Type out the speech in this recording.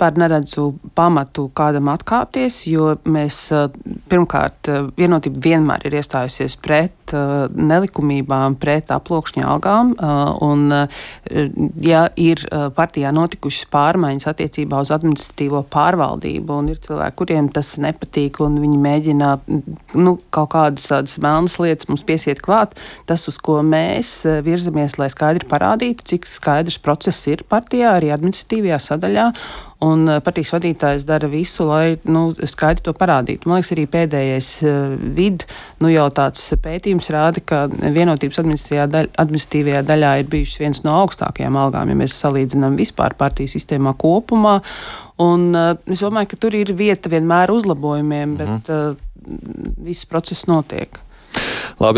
vispār neredzu pamatu kādam atkāpties, jo mēs pirmkārt Vienotība vienmēr ir iestājusies pret nelikumībām, pret aploksņa algām, un ja ir partijā notikušas pārmaiņas attiecībā uz administratīvo pārvaldību, un ir cilvēki, kuriem tas nepatīk, un viņi mēģina kaut kādas tādas melnas lietas mums piesiet klāt, tas, uz ko mēs virzamies, lai skaidri parādītu, cik skaidrs process ir partijā, arī administratīvajā sadaļā, un partijas vadītājs dara visu, lai skaidri to parādītu. Man liekas, arī pēdējais jau tāds pētījums rāda, ka Vienotības administratīvajā daļā ir bijušas viens no augstākajām algām, ja mēs salīdzinām vispār partijas sistēmā kopumā. Un es domāju, ka tur ir vieta vienmēr uzlabojumiem, bet viss process notiek. Labi.